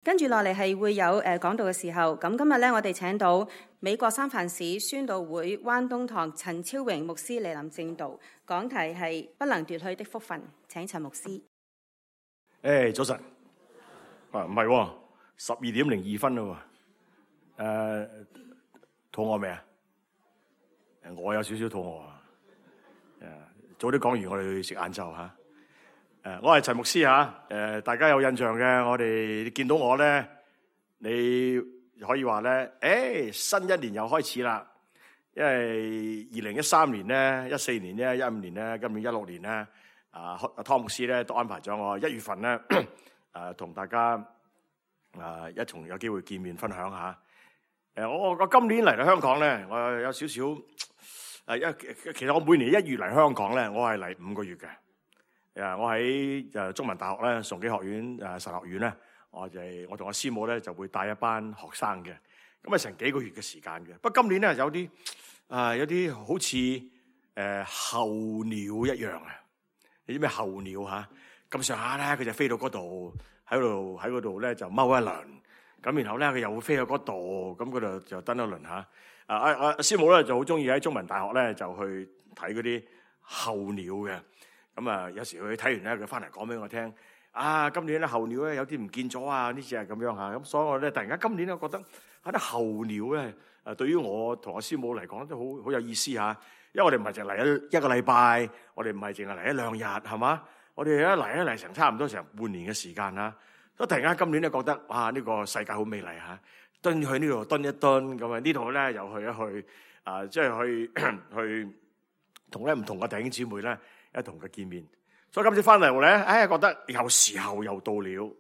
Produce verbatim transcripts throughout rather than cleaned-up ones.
跟住落嚟係會有誒講道嘅時候，咁今日咧我哋請到美國三藩市宣道會灣東堂陳超榮牧師嚟臨證道，講題係不能奪去的福分。請陳牧師。誒，早晨。啊，唔係喎，十二點零二分咯喎。誒，肚餓未啊？誒，我有少少肚餓啊。誒，早啲講完，我哋去食晏晝嚇。誒，我係陳牧師嚇。誒，大家有印象嘅，我哋見到我咧，你可以話咧，誒，新一年又開始啦。因為二零一三年咧、一四年咧、一五年咧、今年一六年咧，啊，湯牧師咧都安排咗我一月份咧，誒，同大家啊一同有機會見面分享下。誒，我我今年嚟到香港咧，我有少少誒一其實我每年一月嚟香港咧，我係嚟五個月嘅。誒，我喺誒中文大學咧，崇基學院誒神學院咧，我就係我同我師母咧就會帶一班學生嘅，咁啊成幾個月嘅時間嘅。不過今年咧有啲啊有啲好似誒候鳥一樣啊！你知咩候鳥嚇？咁上下咧佢就飛到嗰度，喺度喺嗰度咧就踎一輪，咁然後咧佢又會飛去嗰度，咁嗰度就登一輪嚇。啊啊啊！師母咧就好中意喺中文大學咧就去睇嗰啲候鳥嘅。咁啊，有時佢睇完咧，佢翻嚟講俾我聽。啊，今年咧候鳥咧有啲唔見咗啊！呢隻係咁樣嚇。咁所以我咧突然間今年咧覺得喺啲候鳥咧，誒對於我同我師母嚟講都好好有意思嚇。因為我哋唔係淨嚟一一個禮拜，我哋唔係淨係嚟一兩日，係嘛？我哋一嚟一嚟成差唔多成半年嘅時間啦。咁突然間今年咧覺得哇，呢個世界好美麗嚇，蹲去呢度蹲一蹲咁啊，呢度咧又去一去啊，即係去去同咧唔同嘅弟兄姊妹咧。一同佢見面，所以今次翻嚟咧，哎呀覺得有時候又到了，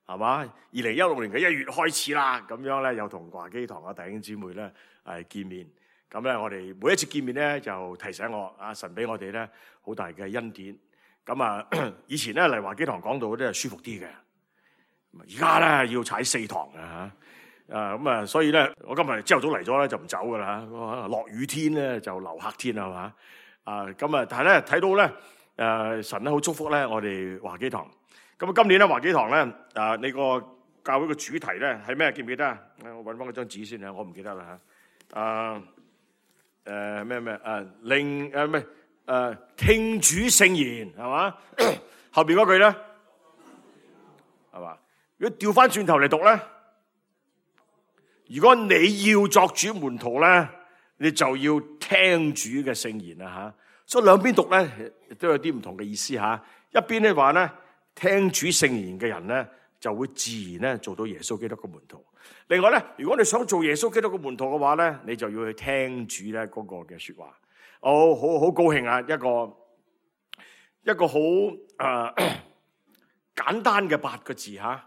係嘛？二零一六年嘅一月開始啦，咁樣咧又同華基堂嘅弟兄姊妹咧係見面，咁咧我哋每一次見面咧就提醒我，阿神俾我哋咧好大嘅恩典。咁啊，以前咧嚟華基堂講道咧係舒服啲嘅，而家咧要踩四堂啊嚇，啊咁啊，所以咧我今日朝頭早嚟咗咧就唔走噶啦，落雨天咧就留客天係嘛？啊，咁啊，但係咧睇到咧，誒、呃、神咧好祝福咧，我哋華基堂。咁啊，今年咧華基堂咧，啊，你個教會嘅主題咧係咩？記唔記得啊？我揾翻嗰張紙先啊，我唔記得啦嚇。啊，誒咩咩啊，令誒咩誒聽主聖言係嘛？後邊嗰句咧係嘛？如果調翻轉頭嚟讀咧，如果你要作主門徒咧，你就要聽主嘅聖言啦吓，所以兩邊讀咧都有啲唔同嘅意思吓。一邊咧話咧聽主聖言嘅人咧就會自然咧做到耶穌基督嘅門徒。另外咧，如果你想做耶穌基督嘅門徒嘅話咧，你就要去聽主咧嗰個嘅說話。我好好高興啊！一個一個好誒、呃、簡單嘅八個字吓，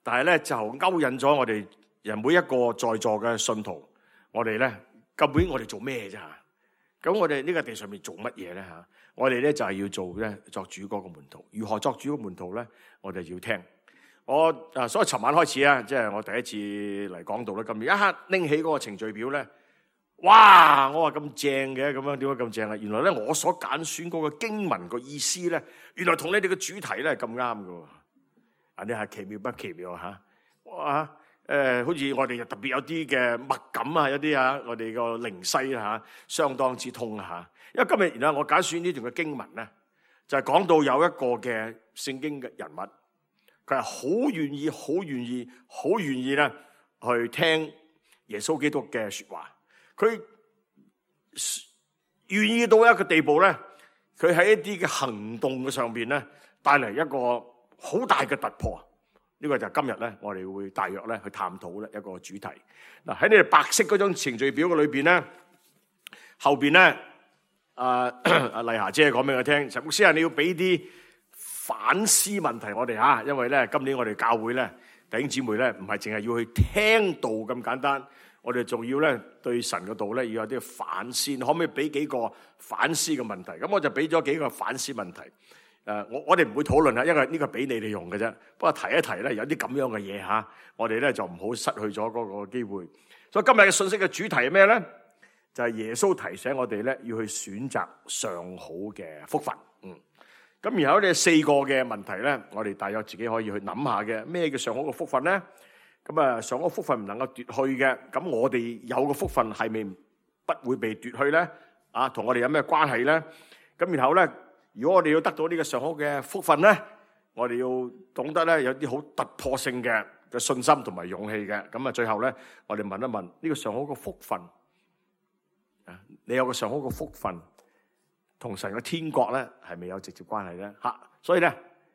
但係咧就勾引咗我哋人每一個在座嘅信徒，我哋咧。究竟我哋做咩啫嚇？咁我哋呢個地上面做乜嘢咧嚇？我哋咧就係要做咧作主嗰個門徒。如何作主嘅門徒咧？我哋要聽。我啊，所以尋晚開始啊，即係我第一次嚟講道咧。今日一刻拎起嗰個程序表咧，哇！我話咁正嘅，咁樣點解咁正啊？原來咧我所揀選嗰個經文個意思咧，原來同你哋嘅主題咧係咁啱㗎喎。啊，你係奇妙不奇妙嚇？哇！誒、呃，好似我哋特別有啲嘅默感啊，有啲啊，我哋個靈犀嚇，相當之通嚇。因為今日然後我揀選呢段嘅經文咧，就係、是、講到有一個嘅聖經嘅人物，佢係好願意、好願意、好願意咧去聽耶穌基督嘅説話。佢願意到一個地步咧，佢喺一啲嘅行動嘅上邊咧，帶嚟一個好大嘅突破。呢個就係今日咧，我哋會大約咧去探討咧一個主題。嗱，喺你哋白色嗰張程序表嘅裏邊咧，後邊咧，阿阿麗霞姐講俾我聽，陳牧師啊，你要俾啲反思問題我哋嚇，因為咧今年我哋教會咧弟兄姊妹咧唔係淨係要去聽道咁簡單，我哋仲要咧對神嘅道咧要有啲反思，可唔可以俾幾個反思嘅問題？咁我就俾咗幾個反思問題。誒，我我哋唔會討論啦，因為呢個俾你哋用嘅啫。不過提一提咧，有啲咁樣嘅嘢嚇，我哋咧就唔好失去咗嗰個機會。所以今日嘅信息嘅主題係咩咧？就係耶穌提醒我哋咧，要去選擇上好嘅福分。嗯，咁然後呢四個嘅問題咧，我哋大約自己可以去諗下嘅。咩叫上好嘅福分咧？咁啊，上嗰福分唔能夠奪去嘅，咁我哋有嘅福分係咪不會被奪去咧？啊，同我哋有咩關係咧？咁然後咧，如果我哋要得到呢個上好嘅福分咧，我哋要懂得咧有啲好突破性嘅嘅信心同埋勇氣嘅。咁啊，最後咧，我哋問一問呢個上好嘅福分啊，你有個上好嘅福分，同神嘅天國咧係咪有直接關係咧？嚇，所以咧，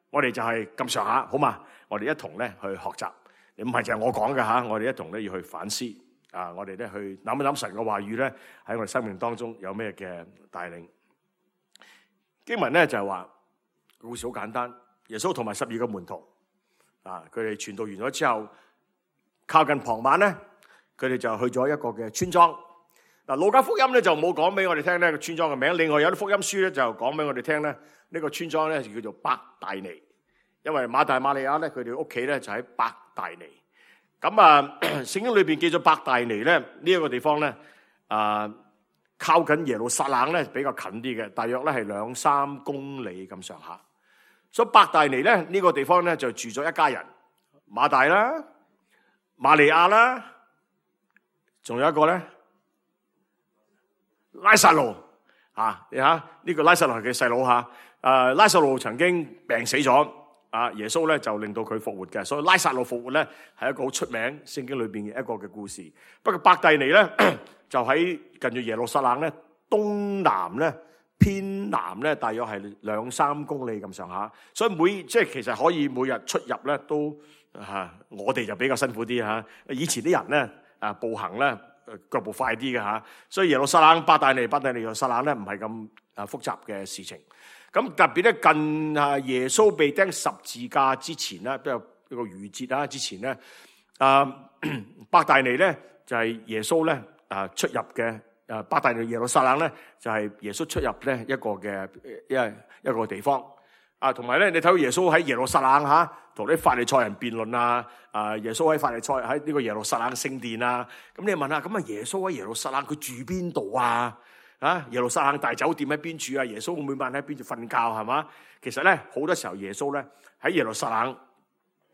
我哋就係咁上下，好嘛？我哋一同咧去學習，唔係就係我講嘅嚇，我哋一同咧要去反思啊！我哋咧去諗一諗神嘅話語咧喺我哋生命當中有咩嘅帶領。經文咧就係話故事好簡單，耶穌同埋十二個門徒啊，佢哋傳道完咗之後，靠近傍晚咧，佢哋就去咗一個嘅村莊。嗱，路加福音咧就冇講俾我哋聽呢個村莊嘅名，另外有啲福音書咧就講俾我哋聽咧，呢個村莊咧就叫做伯大尼，因為馬大馬利亞咧佢哋屋企咧就喺伯大尼。咁啊，聖經裏邊記咗伯大尼咧呢一個地方咧啊，靠近耶路撒冷咧比較近啲嘅，大約咧係兩三公里咁上下。所以伯大尼咧呢個地方咧就住咗一家人，馬大啦、瑪利亞啦，仲有一個咧。拉撒路啊，你睇呢個拉撒路係佢細佬吓，誒拉撒路曾經病死咗，啊耶穌咧就令到佢復活嘅，所以拉撒路復活咧係一個好出名聖經裏邊嘅一個嘅故事。不過伯大尼咧就喺近住耶路撒冷咧東南咧偏南咧大約係兩三公里咁上下，所以每即係其實可以每日出入咧都吓、啊，我哋就比較辛苦啲吓。以前啲人咧啊步行咧。腳步快啲嘅吓，所以耶路撒冷、伯大尼、伯大尼、耶路撒冷咧唔係咁啊複雜嘅事情。咁特別咧近啊耶穌被釘十字架之前咧，都有一個逾節啦。之前咧啊伯大尼咧就係耶穌咧啊出入嘅，啊伯大尼耶路撒冷咧就係耶穌出入咧一個嘅一一個地方。啊，同埋咧，你睇到耶穌喺耶路撒冷嚇，同啲法利賽人辯論啊！啊，耶穌喺法利賽喺呢個耶路撒冷聖殿啊！咁你問下，咁啊耶穌喺耶路撒冷佢住邊度啊？啊，耶路撒冷大酒店喺邊處啊？耶穌會每晚喺邊度瞓覺係嘛？其實咧好多時候耶穌咧喺耶路撒冷，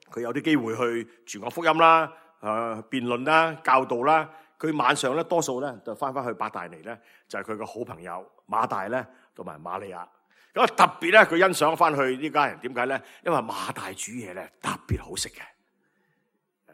佢有啲機會去傳講福音啦、誒辯論啦、教導啦。佢晚上咧多數咧就翻返去伯大尼咧，就係佢個好朋友馬大咧同埋瑪利亞。咁特別咧，佢欣賞翻去呢家人點解咧？因為馬大煮嘢咧特別好食嘅。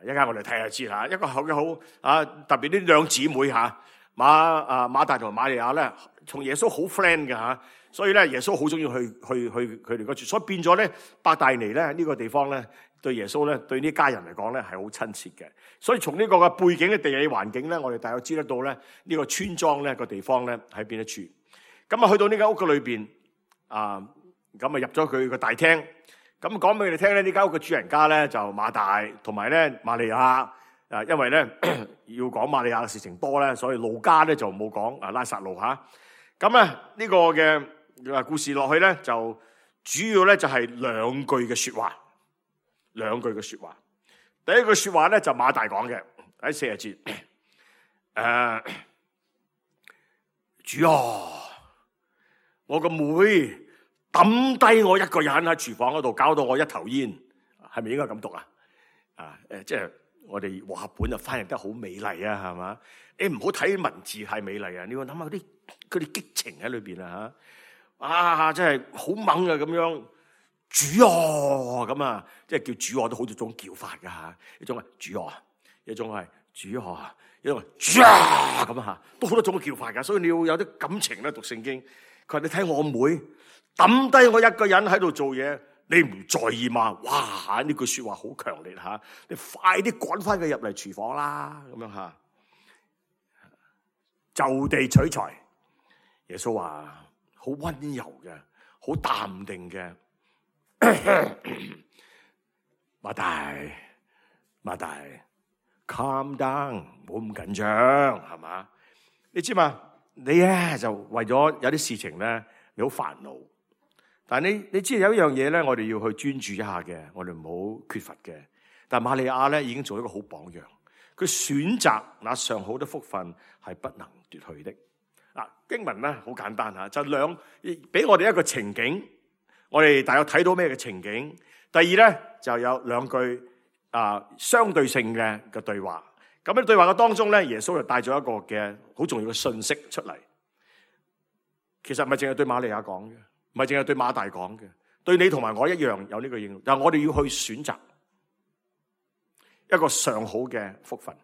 一陣間我哋睇下知啦，一個好嘅好啊！特別呢兩姊妹嚇馬啊馬大同埋瑪利亞咧，同耶穌好 friend 嘅嚇，所以咧耶穌好中意去去去佢哋嗰處，所以變咗咧伯大尼咧呢個地方咧對耶穌咧對呢家人嚟講咧係好親切嘅。所以從呢個嘅背景嘅地理環境咧，我哋大概知得到咧呢個村莊咧個地方咧喺邊一處。咁啊去到呢間屋嘅裏邊。啊，咁啊入咗佢個大廳，咁講俾佢哋聽咧，呢間屋嘅主人家咧就馬大，同埋咧瑪利亞。啊，因為咧要講瑪利亞嘅事情多咧，所以路加咧就冇講啊拉撒路吓。咁啊呢個嘅故事落去咧，就主要咧就係兩句嘅說話，兩句嘅說話。第一句說話咧就馬大講嘅喺四十節，誒、呃，主啊！我個妹抌低我一個人喺廚房嗰度，搞到我一頭煙，係咪應該咁讀啊？啊，誒，即係我哋和合本就翻譯得好美麗啊，係嘛？你唔好睇文字太美麗啊，你要諗下啲嗰啲激情喺裏邊啊吓，啊，真係好猛啊咁樣，主啊咁啊，即係叫主啊都好多種叫法噶吓，一種係主啊，一種係主啊，一種係主啊咁啊吓，都好多種叫法噶，所以你要有啲感情咧讀聖經。佢話你睇我妹抌低我一個人喺度做嘢，你唔在意嘛？哇！呢句說話好強烈吓，你快啲趕翻佢入嚟廚房啦，咁樣吓，就地取材。耶穌話好溫柔嘅，好淡定嘅。馬大，馬大 ，calm down，唔好咁緊張，係嘛？你知嘛？你咧就為咗有啲事情咧，你好煩惱。但係你你知有一樣嘢咧，我哋要去專注一下嘅，我哋唔好缺乏嘅。但係瑪利亞咧已經做一個好榜樣，佢選擇那上好的福分係不能奪去的。嗱，經文咧好簡單吓，就兩俾我哋一個情景，我哋大約睇到咩嘅情景。第二咧就有兩句啊相對性嘅嘅對話。咁喺對話嘅當中咧，耶穌就帶咗一個嘅好重要嘅信息出嚟。其實唔係淨係對瑪利亞講嘅，唔係淨係對馬大講嘅，對你同埋我一樣有呢個應用。但係我哋要去選擇一個上好嘅福分，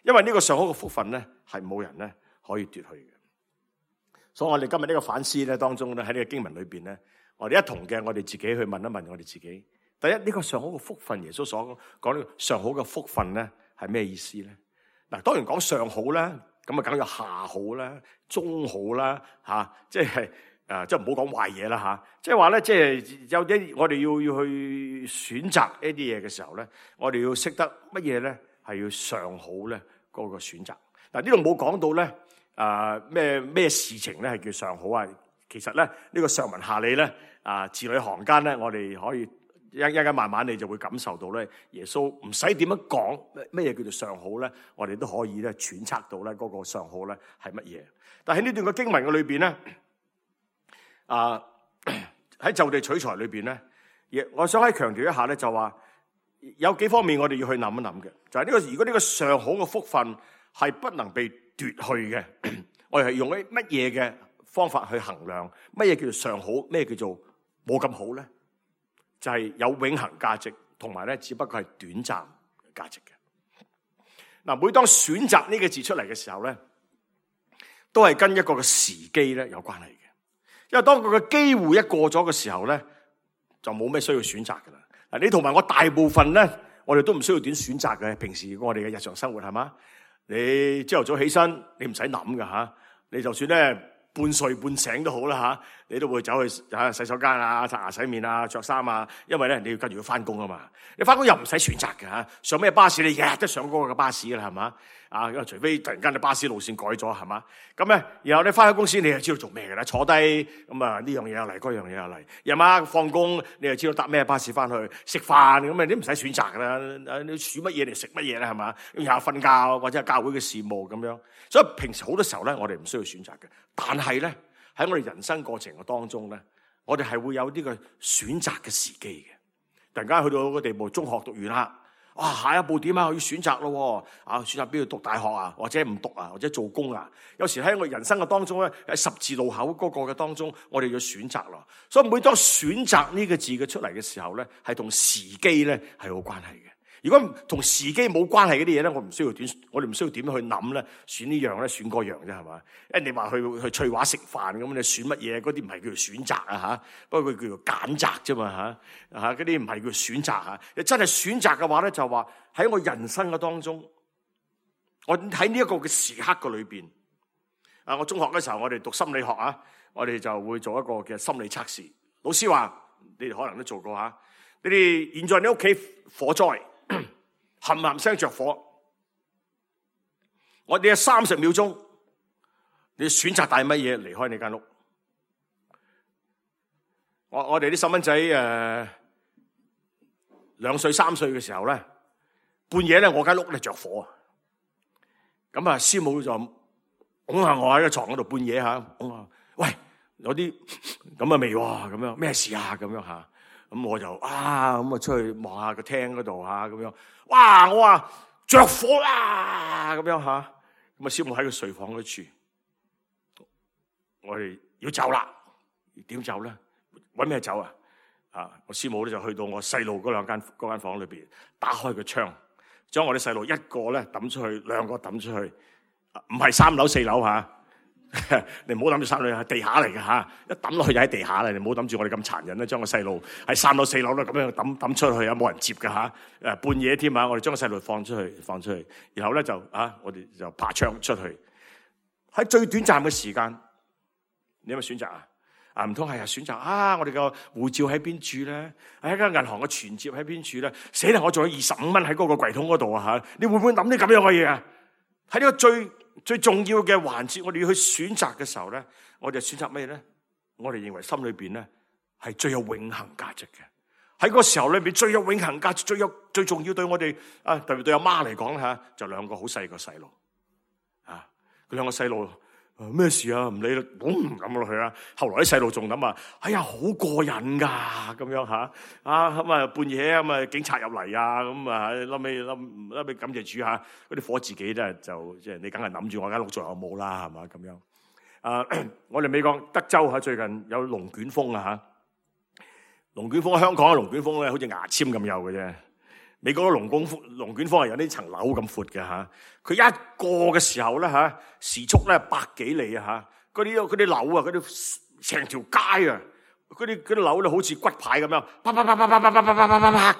因為呢個上好嘅福分咧係冇人咧可以奪去嘅。所以我哋今日呢個反思咧當中咧，喺呢個經文裏邊咧，我哋一同嘅我哋自己去問一問我哋自己。第一，呢個上好嘅福分，耶穌所講呢個上好嘅福分咧係咩意思咧？嗱，當然講上好啦，咁啊梗有下好啦、中好啦，吓，即係誒，即係唔好講壞嘢啦吓。即係話咧，即係有啲我哋要要去選擇一啲嘢嘅時候咧，我哋要識得乜嘢咧係要上好咧嗰個選擇。嗱，呢度冇講到咧。啊咩咩事情咧係叫上好啊？其實咧呢、這個上文下理咧啊字裏行間咧，我哋可以一一陣慢慢你就會感受到咧，耶穌唔使點樣講咩嘢叫做上好咧，我哋都可以咧揣測到咧嗰個上好咧係乜嘢。但係呢段嘅經文嘅裏邊咧，啊喺就地取材裏邊咧，亦我想喺強調一下咧，就話有幾方面我哋要去諗一諗嘅，就係、是、呢、這個如果呢個上好嘅福分係不能被奪去嘅，我哋係用啲乜嘢嘅方法去衡量乜嘢叫做上好，咩叫做冇咁好咧？就係、是、有永恆價值，同埋咧只不過係短暫價值嘅。嗱，每當選擇呢個字出嚟嘅時候咧，都係跟一個嘅時機咧有關係嘅。因為當佢嘅機會一過咗嘅時候咧，就冇咩需要選擇噶啦。嗱，你同埋我大部分咧，我哋都唔需要點選擇嘅。平時我哋嘅日常生活係嘛？你朝頭早起身，你唔使諗噶吓，你就算咧半睡半醒都好啦吓，你都會走去吓洗手間啊、刷牙洗面啊、着衫啊，因為咧你要跟住要翻工啊嘛。你翻工又唔使選擇嘅吓，上咩巴士你日日都上嗰個嘅巴士噶啦，係嘛？啊，除非突然間你巴士路線改咗，係嘛？咁咧，然後你翻去公司，你就知道做咩嘅啦，坐低咁啊，呢樣嘢又嚟，嗰樣嘢又嚟。夜晚放工，你就知道搭咩巴士翻去食飯，咁啊，你唔使選擇噶啦，你煮乜嘢嚟食乜嘢啦，係嘛？然後瞓覺或者係教會嘅事務咁樣。所以平時好多時候咧，我哋唔需要選擇嘅。但係咧，喺我哋人生過程嘅當中咧，我哋係會有呢個選擇嘅時機嘅。突然間去到個地步，中學讀完啦。哇！下一步點啊？我要選擇咯，啊，選擇邊度讀大學啊，或者唔讀啊，或者做工啊。有時喺我人生嘅當中咧，喺十字路口嗰個嘅當中，我哋要選擇咯。所以每當選擇呢個字嘅出嚟嘅時候咧，係同時機咧係有關係嘅。如果同時機冇關係嗰啲嘢咧，我唔需要點，我哋唔需要點去諗咧，選呢樣咧，選嗰樣啫，係嘛？誒，你話去去翠華食飯咁，你選乜嘢？嗰啲唔係叫做選擇啊吓，不過佢叫做揀擇啫嘛吓吓，嗰啲唔係叫做選擇吓。你真係選擇嘅話咧，就話喺我人生嘅當中，我喺呢一個嘅時刻嘅裏邊，啊，我中學嘅時候，我哋讀心理學啊，我哋就會做一個嘅心理測試。老師話，你哋可能都做過吓，你哋現在你屋企火災。冚冚聲着火，我哋有三十秒鐘，你選擇帶乜嘢離開你間屋？我我哋啲細蚊仔誒，兩歲三歲嘅時候咧，半夜咧我間屋咧着火啊！咁啊，師母就拱下我喺個床嗰度半夜吓，拱下，喂，有啲咁啊未喎，咁樣咩事啊？咁樣吓。咁我就啊，咁啊出去望下個廳嗰度吓，咁樣，哇！我話着火啦，咁樣吓，咁啊師母喺個睡房嗰處，我哋要走啦，點走咧？搵咩走啊？啊！我師母咧就去到我細路嗰兩間嗰間房裏邊，打開個窗，將我哋細路一個咧抌出去，兩個抌出去，唔係三樓四樓吓。你唔好諗住三樓係地下嚟嘅吓，一抌落去就喺地下啦。你唔好諗住我哋咁殘忍咧，將個細路喺三樓四樓咧咁樣抌抌出去啊，冇人接嘅吓。誒，半夜添啊，我哋將個細路放出去，放出去，然後咧就啊，我哋就爬窗出去。喺最短暫嘅時間，你有咩選擇啊？啊，唔通係選擇啊？我哋個護照喺邊處咧？喺間銀行嘅存摺喺邊處咧？死啦！我仲有二十五蚊喺嗰個櫃桶嗰度啊吓！你會唔會諗啲咁樣嘅嘢啊？喺呢個最最重要嘅環節，我哋要去選擇嘅時候咧，我哋選擇咩咧？我哋認為心裏邊咧係最有永恆價值嘅。喺個時候裏邊最有永恆價值、最有最重要對我哋啊，特別對阿媽嚟講吓，就兩個好細個細路啊，佢兩個細路咩事啊？唔理啦，咁咁落去啦。後來啲細路仲諗啊，哎呀，好過癮噶，咁樣吓啊咁啊，半夜咁啊，警察入嚟啊，咁啊，後尾後尾感謝主吓，嗰啲火自己咧就即係你梗係諗住我間屋仲有冇啦，係嘛咁樣啊？我哋美國德州吓最近有龍捲風啊吓，龍捲風香港嘅龍捲風咧，好似牙籤咁幼嘅啫。美國嘅龍捲風龍捲風係有呢層樓咁闊嘅吓，佢一過嘅時候咧吓，時速咧百幾里啊吓，嗰啲嗰啲樓啊，嗰啲成條街啊，嗰啲嗰啲樓咧好似骨牌咁樣，啪啪啪啪啪啪啪啪啪啪啪啪，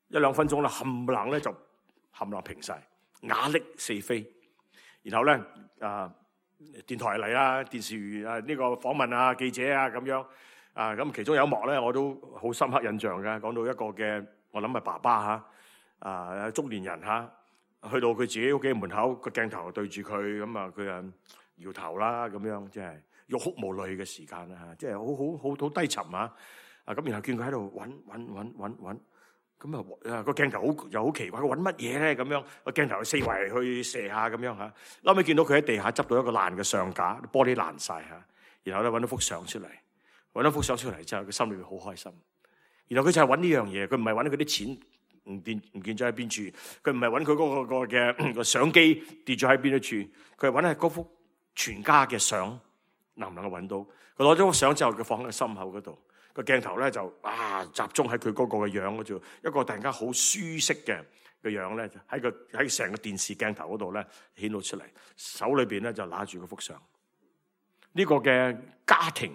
一兩分鐘咧冚唪唥咧就冚唪唥平晒，瓦礫四飛，然後咧啊電台嚟啦，電視啊呢個訪問啊記者啊咁樣。啊，咁其中有一幕咧，我都好深刻印象嘅。講到一個嘅，我諗係爸爸嚇，啊中年人嚇，去到佢自己屋企門口，個鏡頭對住佢，咁啊佢啊搖頭啦，咁樣即係欲哭無淚嘅時間啦嚇，即係好好好好低沉啊！啊咁，然後見佢喺度揾揾揾揾揾，咁啊個鏡頭好又好奇怪，佢揾乜嘢咧？咁樣個鏡頭四圍去射下咁樣嚇，後尾見到佢喺地下執到一個爛嘅相架，玻璃爛晒嚇，然後咧揾到幅相出嚟。揾咗幅相出嚟之後，佢心裏面好開心。然後佢就係揾呢樣嘢，佢唔係揾佢啲錢唔見唔見咗喺邊處，佢唔係揾佢嗰個嘅個相機跌咗喺邊一處，佢係揾係嗰幅全家嘅相，能唔能夠揾到？佢攞咗幅相之後，佢放喺個心口嗰度，個鏡頭咧就啊集中喺佢嗰個嘅樣嗰度，一個突然間好舒適嘅嘅樣咧，喺個喺成個電視鏡頭嗰度咧顯露出嚟，手裏邊咧就拿住嗰幅相。呢個嘅家庭。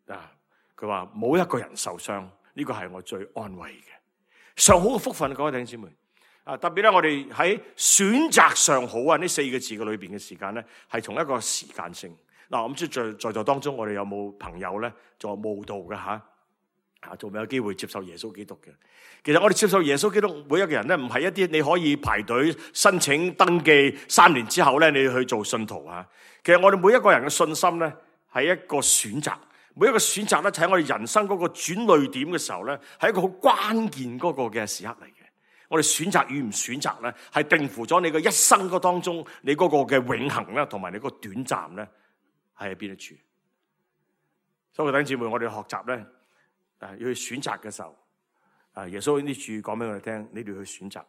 啊！佢話冇一個人受傷，呢個係我最安慰嘅上好嘅福分。各位弟兄姊妹啊，特別咧，我哋喺選擇上好啊呢四個字嘅裏邊嘅時間咧，係從一個時間性嗱。我唔知在在座當中，我哋有冇朋友咧做慕道嘅吓啊？仲未有機會接受耶穌基督嘅？其實我哋接受耶穌基督，每一個人咧唔係一啲你可以排隊申請登記三年之後咧，你去做信徒啊。其實我哋每一個人嘅信心咧係一個選擇。每一個選擇咧，喺我哋人生嗰個轉捩點嘅時候咧，係一個好關鍵嗰個嘅時刻嚟嘅。我哋選擇與唔選擇咧，係定乎咗你嘅一生嗰當中，你嗰個嘅永恆咧，同埋你嗰個短暫咧，係喺邊一處。所以弟兄姊妹，我哋學習咧，誒要去選擇嘅時候，啊耶穌呢處講俾我哋聽，你哋去選擇，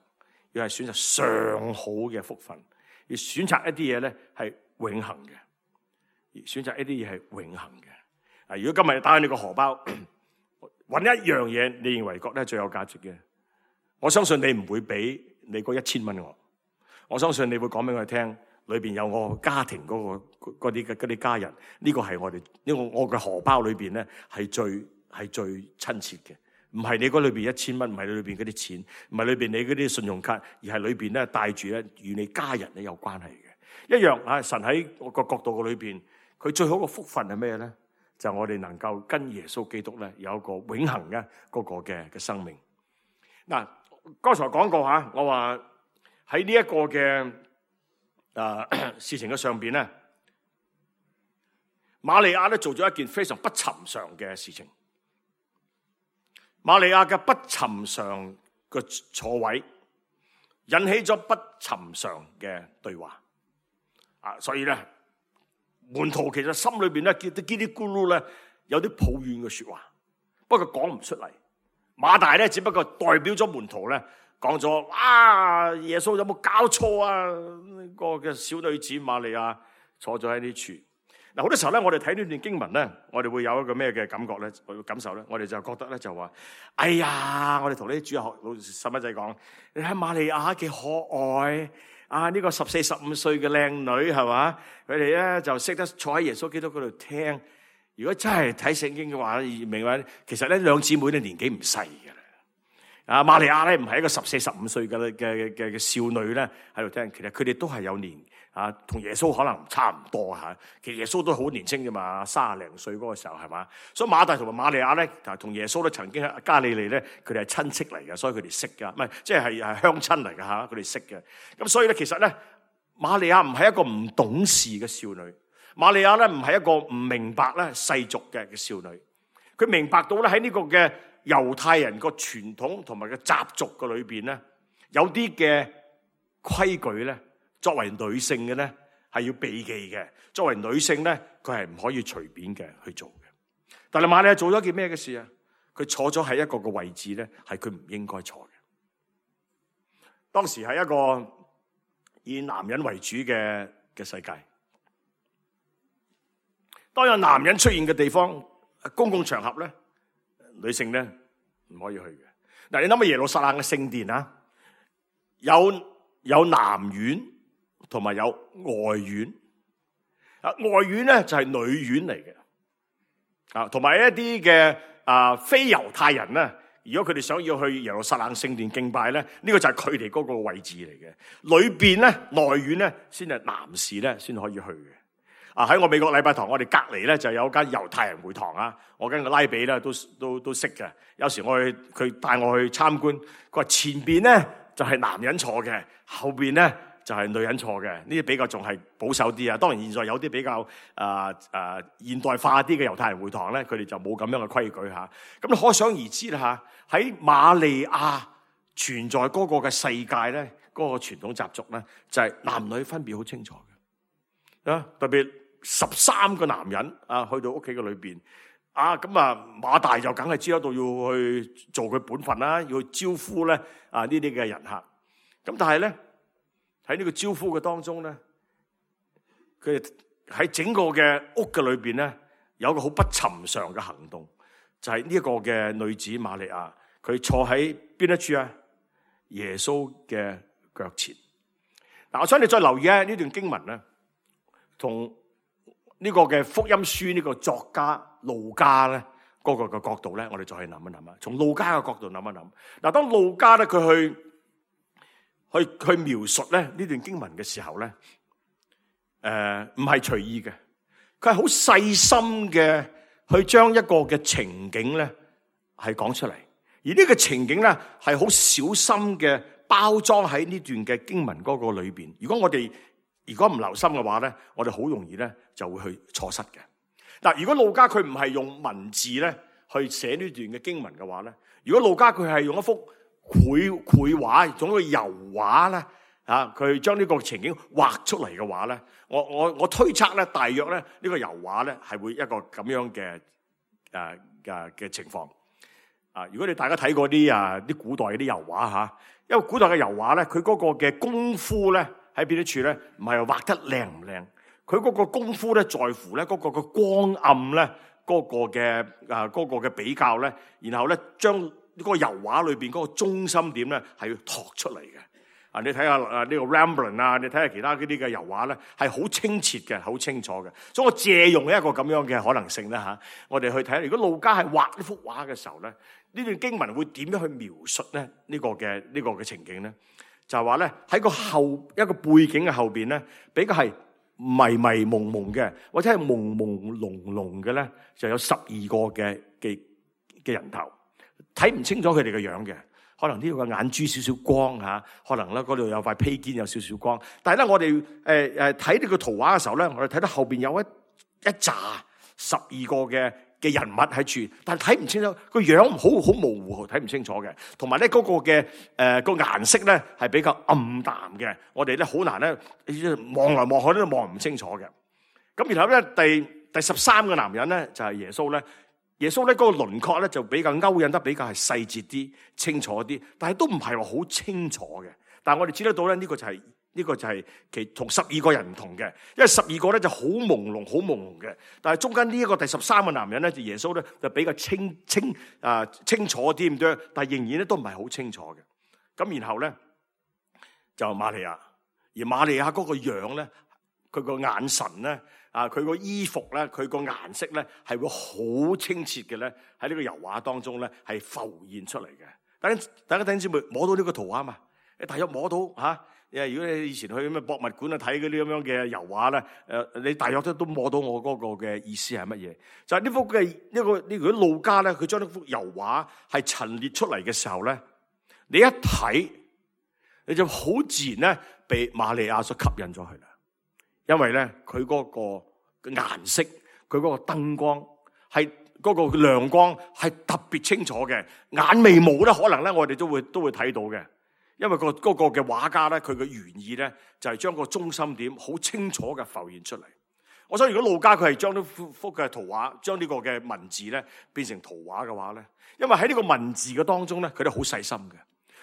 要係選擇上好嘅福分，要選擇一啲嘢咧係永恆嘅，而選擇一啲嘢係永恆嘅。啊！如果今日打開你個荷包，揾一樣嘢，你認為覺得最有價值嘅，我相信你唔會俾你嗰一千蚊我。我相信你會講俾我哋聽，裏邊有我家庭嗰、嗰個嗰啲嘅嗰啲家人，呢、呢個係我哋呢個我嘅荷包裏邊咧係最係最親切嘅，唔係你嗰裏邊一千蚊，唔係你裏邊嗰啲錢，唔係裏邊你嗰啲信用卡，而係裏邊咧帶住咧與你家人咧有關係嘅一樣啊！神喺我個角度嘅裏邊，佢最好嘅福分係咩咧？就我哋能夠跟耶穌基督咧有一個永恆嘅嗰個嘅嘅生命。嗱，剛才講過吓，我話喺呢一個嘅誒事情嘅上邊咧，瑪利亞咧做咗一件非常不尋常嘅事情。瑪利亞嘅不尋常嘅坐位，引起咗不尋常嘅對話。啊，所以咧。門徒其實心裏邊咧，嘰啲嘰哩咕嚕咧，有啲抱怨嘅說話，不過講唔出嚟。馬大咧，只不過代表咗門徒咧，講咗：啊，耶穌有冇搞錯啊？呢個嘅小女子瑪利亞坐咗喺呢處。嗱，好多時候咧，我哋睇呢段經文咧，我哋會有一個咩嘅感覺咧？我感受咧，我哋就覺得咧，就話：哎呀，我哋同呢啲主日學老細蚊仔講，你睇瑪利亞幾可愛。啊！呢、這個十四十五歲嘅靚女係嘛？佢哋咧就識得坐喺耶穌基督嗰度聽。如果真係睇聖經嘅話，明白其實咧兩姊妹咧年紀唔細嘅啦。啊，瑪利亞咧唔係一個十四十五歲嘅嘅嘅嘅少女咧喺度聽，其實佢哋都係有年啊，同耶穌可能差唔多吓。其實耶穌都好年輕啫嘛，卅零歲嗰個時候係嘛。所以馬大同埋瑪利亞咧，同耶穌咧曾經喺加利利咧，佢哋係親戚嚟嘅，所以佢哋識噶，唔係即係係鄉親嚟嘅吓，佢哋識嘅。咁所以咧，其實咧，瑪利亞唔係一個唔懂事嘅少女，瑪利亞咧唔係一個唔明白咧世俗嘅嘅少女，佢明白到咧喺呢個嘅猶太人個傳統同埋個習俗嘅裏邊咧，有啲嘅規矩咧，作為女性嘅咧係要避忌嘅。作為女性咧，佢係唔可以隨便嘅去做嘅。但係瑪利亞做咗件咩嘅事啊？佢坐咗喺一個嘅位置咧，係佢唔應該坐嘅。當時係一個以男人為主嘅嘅世界。當有男人出現嘅地方，公共場合咧，女性咧唔可以去嘅。嗱，你諗下耶路撒冷嘅聖殿啊，有有南院同埋有外院。啊，外院咧就係女院嚟嘅。啊，同埋一啲嘅啊非猶太人咧，如果佢哋想要去耶路撒冷聖殿敬拜咧，呢個就係佢哋嗰個位置嚟嘅。裏邊咧內院咧先係男士咧先可以去嘅。啊，喺我美國禮拜堂，我哋隔籬咧就有間猶太人會堂啊。我跟個拉比咧都都都識嘅。有時我去佢帶我去參觀，佢話前邊咧就係男人坐嘅，後邊咧就係女人坐嘅。呢啲比較仲係保守啲啊。當然現在有啲比較啊啊現代化啲嘅猶太人會堂咧，佢哋就冇咁樣嘅規矩吓。咁可想而知啦吓，喺瑪利亞存在嗰個嘅世界咧，嗰個傳統習俗咧就係男女分別好清楚嘅啊，特別。十三個男人啊，去到屋企嘅裏邊啊，咁啊馬大就梗係知道到要去做佢本分啦，要去招呼咧啊呢啲嘅人客。咁但係咧喺呢個招呼嘅當中咧，佢哋喺整個嘅屋嘅裏邊咧，有一個好不尋常嘅行動，就係呢一個嘅女子瑪利亞，佢坐喺邊一處啊？耶穌嘅腳前。嗱，我想你再留意咧呢段經文咧，同呢個嘅福音書呢個作家路加咧嗰個嘅角度咧，我哋再去諗一諗啊。從路加嘅角度諗一諗。嗱，當路加咧佢去去去描述咧呢段經文嘅時候咧，誒唔係隨意嘅，佢係好細心嘅去將一個嘅情景咧係講出嚟，而呢個情景咧係好小心嘅包裝喺呢段嘅經文嗰個裏邊。如果我哋如果唔留心嘅話咧，我哋好容易咧就會去錯失嘅。嗱，如果路加佢唔係用文字咧去寫呢段嘅經文嘅話咧，如果路加佢係用一幅繪繪畫，用一個油畫咧，啊，佢將呢個情景畫出嚟嘅話咧，我我我推測咧，大約咧呢個油畫咧係會一個咁樣嘅誒誒嘅情況。啊，如果你大家睇過啲啊啲古代嗰啲油畫吓，因為古代嘅油畫咧，佢嗰個嘅功夫咧。喺邊啲處咧？唔係畫得靚唔靚，佢嗰個功夫咧，在乎咧嗰個嘅光暗咧，嗰個嘅啊嗰個嘅比較咧，然後咧將呢個油畫裏邊嗰個中心點咧係要托出嚟嘅。啊，你睇下啊呢個 Rembrandt 啊，你睇下其他嗰啲嘅油畫咧，係好清澈嘅，好清楚嘅。所以我借用一個咁樣嘅可能性咧嚇，我哋去睇下，如果路加係畫呢幅畫嘅時候咧，呢段經文會點樣去描述咧呢個嘅呢個嘅情景咧？就係話咧喺個後一個背景嘅後邊咧，比較係迷迷蒙蒙嘅，或者係朦朦朧朧嘅咧，就有十二個嘅嘅嘅人頭，睇唔清楚佢哋嘅樣嘅。可能呢度嘅眼珠少少光吓，可能咧嗰度有塊披肩有少少光。但係咧，我哋誒誒睇呢個圖畫嘅時候咧，我哋睇到後邊有一一紮十二個嘅嘅人物喺處，但係睇唔清楚個樣，好好模糊，睇唔清楚嘅。同埋咧嗰個嘅誒個顏色咧係比較暗淡嘅，我哋咧好難咧望來望去都望唔清楚嘅。咁然後咧第第十三個男人咧就係耶穌咧。耶穌咧嗰個輪廓咧就比較勾引得比較係細節啲、清楚啲，但係都唔係話好清楚嘅。但係我哋知得到咧，呢個就係呢個就係其同十二個人唔同嘅，因為十二個咧就好朦朧、好朦朧嘅。但係中間呢一個第十三個男人咧，就耶穌咧就比較清清啊清楚啲咁多，但係仍然咧都唔係好清楚嘅。咁然後咧就瑪利亞，而瑪利亞嗰個樣咧，佢個眼神咧。啊！佢個衣服咧，佢個顏色咧，係會好清澈嘅咧，喺呢個油畫當中咧，係浮現出嚟嘅。大家大家睇先，咪摸到呢個圖畫嘛？你大約摸到嚇？誒、啊，如果你以前去咩博物館啊睇嗰啲咁樣嘅油畫咧，誒，你大約都都摸到我嗰個嘅意思係乜嘢？就係、是、呢幅嘅呢個呢個路加咧，佢將呢幅油畫係陳列出嚟嘅時候咧，你一睇你就好自然咧，被瑪利亞所吸引咗去啦。因為咧，佢嗰個顏色，佢嗰個燈光，係嗰個亮光係特別清楚嘅，眼眉毛咧，可能咧我哋都會都會睇到嘅。因為個嗰個嘅畫家咧，佢嘅原意咧就係將個中心點好清楚嘅浮現出嚟。我想如果路加佢係將呢幅幅嘅圖畫，將呢個嘅文字咧變成圖畫嘅話咧，因為喺呢個文字嘅當中咧，佢都好細心嘅。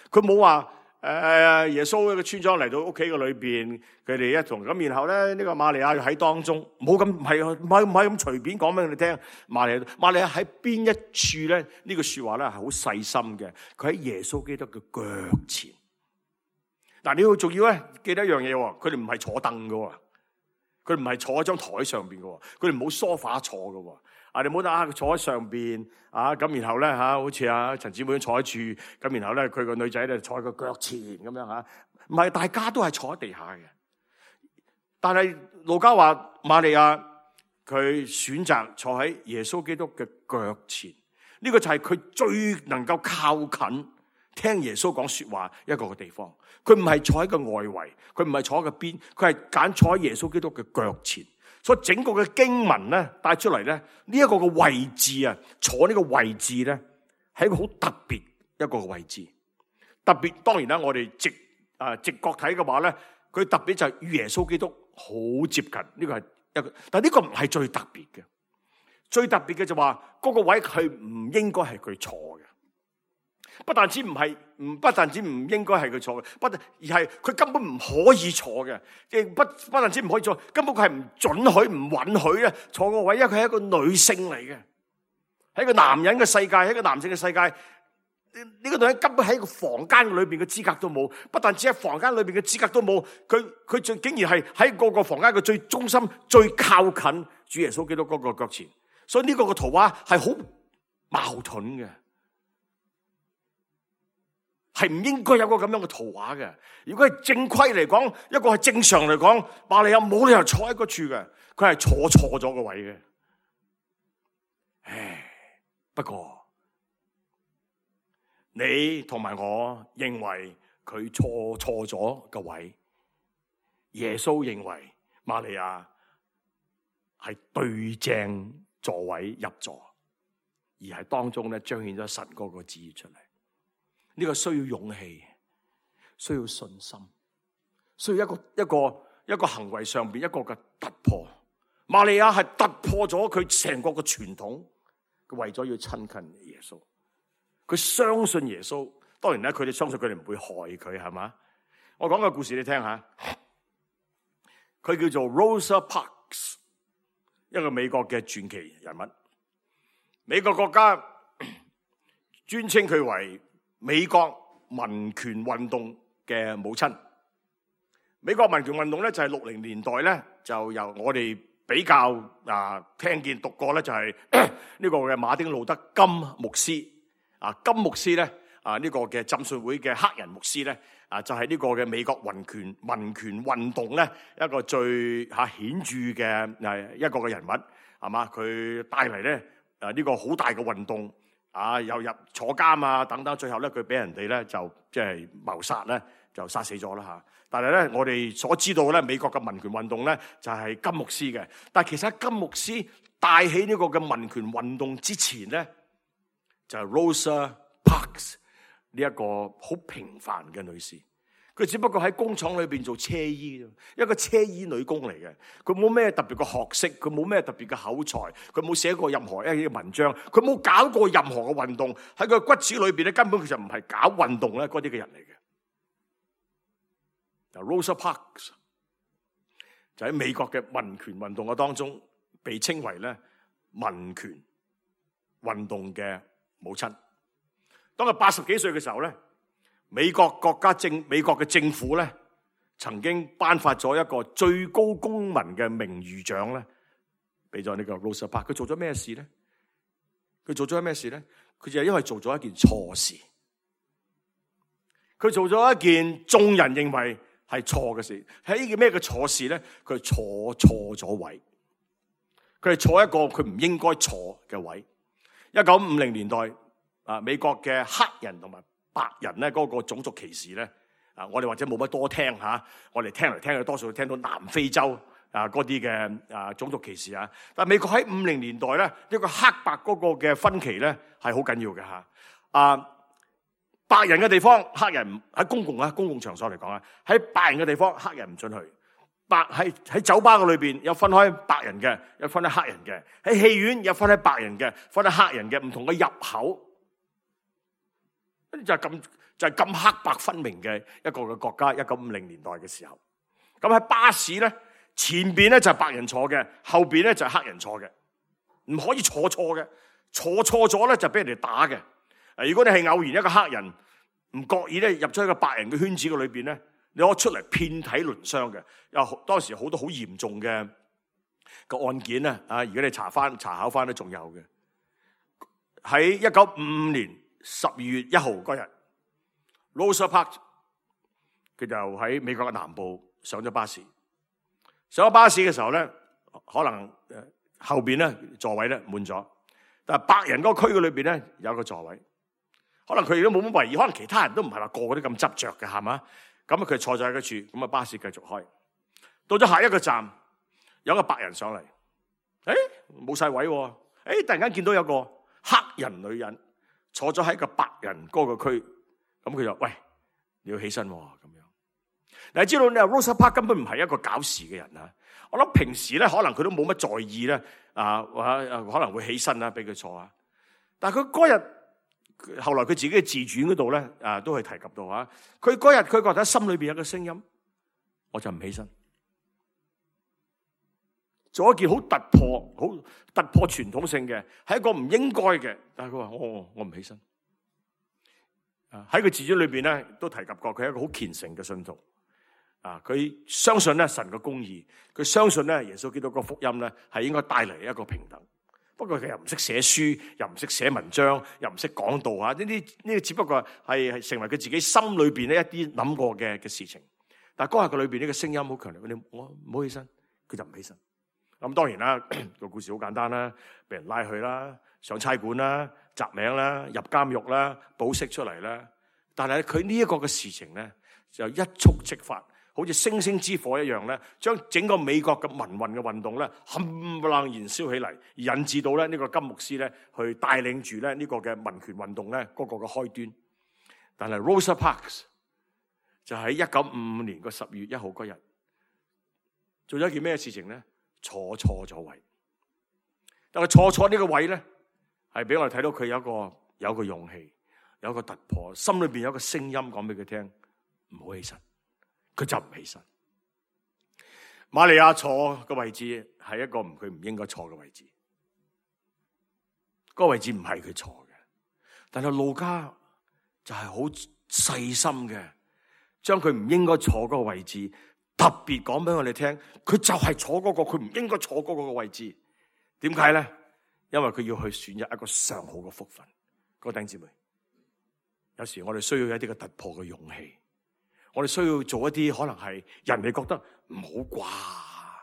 佢冇話誒耶穌嘅村莊嚟到屋企嘅裏邊，佢哋一同咁，然後咧呢個瑪利亞喺當中，冇咁唔係唔係唔係咁隨便講俾你聽。瑪利亞瑪利亞喺邊一處咧？呢個說話咧係好細心嘅。佢喺耶穌基督嘅腳前。嗱，你要仲要咧記得一樣嘢，佢哋唔係坐凳嘅。佢唔係坐喺張台上邊嘅，佢哋冇梳化坐嘅。啊，你唔好得啊，佢坐喺上邊啊，咁然後咧吓，好似啊陳姊妹坐喺處，咁然後咧佢個女仔咧坐喺個腳前咁樣吓，唔係，大家都係坐喺地下嘅。但係路加話瑪利亞佢選擇坐喺耶穌基督嘅腳前，呢個就係佢最能夠靠近聽耶穌講說話一個嘅地方。佢唔係坐喺個外圍，佢唔係坐喺個邊，佢係揀坐喺耶穌基督嘅腳前。所以整個嘅經文咧帶出嚟咧，呢一個嘅位置啊，坐呢個位置咧係一個好特別一個嘅位置。特別當然啦，我哋直啊直覺睇嘅話咧，佢特別就係與耶穌基督好接近。呢個係一個，但係呢個唔係最特別嘅。最特別嘅就話嗰個位佢唔應該係佢坐嘅。不但止唔係，唔不但止唔應該係佢坐嘅，不而係佢根本唔可以坐嘅。亦不不但止唔可以坐，根本佢係唔准許、唔允許咧坐個位，因為佢係一個女性嚟嘅，喺一個男人嘅世界，喺一個男性嘅世界，呢、這個女人根本喺個房間裏邊嘅資格都冇。不但止喺房間裏邊嘅資格都冇，佢佢竟竟然係喺個個房間嘅最中心、最靠近主耶穌基督嗰個腳前。所以呢個個圖畫係好矛盾嘅。係唔應該有個咁樣嘅圖畫嘅。如果係正規嚟講，一個係正常嚟講，瑪利亞冇理由坐喺嗰處嘅，佢係坐錯咗個位嘅。唉，不過你同埋我認為佢錯錯咗個位，耶穌認為瑪利亞係對正座位入座，而係當中咧彰顯咗神嗰個旨意出嚟。呢個需要勇氣，需要信心，需要一個一個一個行為上邊一個嘅突破。瑪利亞係突破咗佢成個嘅傳統，佢為咗要親近耶穌，佢相信耶穌。當然咧，佢哋相信佢哋唔會害佢，係嘛？我講個故事你聽下，佢叫做 Rosa Parks， 一個美國嘅傳奇人物。美國國家尊稱佢為美國民權運動嘅母親。美國民權運動咧就係六零年代咧，就由我哋比較啊聽見讀過咧，就係呢個嘅馬丁路德金牧師啊，金牧師咧啊呢個嘅浸信會嘅黑人牧師咧啊，就係呢個嘅美國民權民權運動咧一個最吓顯著嘅誒一個嘅人物係嘛，佢帶嚟咧誒呢個好大嘅運動。啊！又入坐監啊，等等，最後咧佢俾人哋咧就即係謀殺咧，就殺死咗啦嚇。但係咧，我哋所知道咧，美國嘅民權運動咧就係金牧師嘅。但係其實喺金牧師帶起呢個嘅民權運動之前咧，就係 Rosa Parks 呢一個好平凡嘅女士。佢只不過喺工廠裏邊做車衣，一個車衣女工嚟嘅。佢冇咩特別嘅學識，佢冇咩特別嘅口才，佢冇寫過任何一啲文章，佢冇搞過任何嘅運動。喺佢骨子裏邊咧，根本佢就唔係搞運動咧嗰啲嘅人嚟嘅。Rosa Parks 就喺美國嘅民權運動嘅當中，被稱為咧民權運動嘅母親。當佢八十幾歲嘅時候咧，美國國家政美國嘅政府咧，曾經頒發咗一個最高公民嘅名譽獎咧，俾咗呢個 Rosa Parks。佢做咗咩事咧？佢做咗咩事咧？佢就係因為做咗一件錯事。佢做咗一件眾人認為係錯嘅事。係呢件咩嘅錯事咧？佢坐錯咗位。佢係坐一個佢唔應該坐嘅位。一九五零年代啊，美國嘅黑人同埋白人咧嗰個種族歧視咧，啊，我哋或者冇乜多聽吓，我哋聽嚟聽去多數聽到南非洲啊嗰啲嘅啊種族歧視啊。但係美國喺五零年代咧，一個黑白嗰個嘅分歧咧係好緊要嘅吓。啊，白人嘅地方，黑人唔喺公共啊公共場所嚟講啊，喺白人嘅地方，黑人唔准去。白喺喺酒吧嘅裏邊有分開白人嘅，有分開黑人嘅。喺戲院有分開白人嘅，分開黑人嘅，唔同嘅入口。就係咁就係咁黑白分明嘅一個嘅國家。一九五零年代嘅時候，咁喺巴士咧，前邊咧就係白人坐嘅，後邊咧就係黑人坐嘅，唔可以坐錯嘅，坐錯咗咧就俾人哋打嘅。誒，如果你係偶然一個黑人唔覺意咧入咗一個白人嘅圈子嘅裏邊咧，你可以出嚟遍體鱗傷嘅。有當時好多好嚴重嘅個案件咧，啊，如果你查翻查考翻都仲有嘅。喺一九五五年十二月一號嗰日 Rosa Parks 佢就喺美國嘅南部上咗巴士，上咗巴士嘅時候咧，可能誒後邊咧座位咧滿咗，但係白人嗰個區嘅裏邊咧有個座位，可能佢哋都冇乜為意，可能其他人都唔係話個個都咁執着嘅，係嘛？咁啊佢坐咗喺嗰處，咁啊巴士繼續開，到咗下一個站有個白人上嚟，誒冇晒位喎，誒突然間見到有個黑人女人坐咗喺個白人嗰個區，咁佢就喂，你要起身喎咁樣。嗱，你知道你話 Rosa Parks 根本唔係一個搞事嘅人啊！我諗平時咧可能佢都冇乜在意咧，啊或可能會起身啦，俾佢坐啊。但係佢嗰日後來佢自己嘅自傳嗰度咧，啊都係提及到啊。佢嗰日佢覺得心裏邊有個聲音，我就唔起身，做一件好突破、好突破傳統性嘅，係一個唔應該嘅。但係佢話我我唔起身。啊喺佢自傳裏邊咧都提及過，佢係一個好虔誠嘅信徒。啊！佢相信咧神嘅公義，佢相信咧耶穌基督個福音咧係應該帶嚟一個平等。不過佢又唔識寫書，又唔識寫文章，又唔識講道啊！呢啲呢啲只不過係係成為佢自己心裏邊咧一啲諗過嘅嘅事情。但係嗰日佢裏邊呢個聲音好強烈，你我唔好起身，佢就唔起身。咁當然啦，個故事好簡單啦，俾人拉去啦，上差館啦，雜名啦，入監獄啦，保釋出嚟啦。但係佢呢一個嘅事情咧，就一觸即發。好似星星之火一樣咧，將整個美國嘅民運嘅運動咧，冚唪唥燃燒起嚟，引致到咧呢個金牧師咧去帶領住咧呢個嘅民權運動咧嗰個嘅開端。但係 Rosa Parks 就喺一九五五年個十月一號嗰日做咗一件咩事情咧？坐錯咗位。但係坐錯呢個位咧，係俾我哋睇到佢有一個有一個勇氣，有一個突破，心裏邊有一個聲音講俾佢聽，唔好起身。佢就唔起身。瑪利亞坐嘅位置係一個唔佢唔應該坐嘅位置，嗰個位置唔係佢坐嘅。但係路加就係好細心嘅，將佢唔應該坐嗰個位置特別講俾我哋聽。佢就係坐嗰個佢唔應該坐嗰個位置。點解咧？因為佢要去選擇一個上好嘅福分。各位弟兄姊妹，有時我哋需要一啲嘅突破嘅勇氣。我哋需要做一啲可能係人哋覺得唔好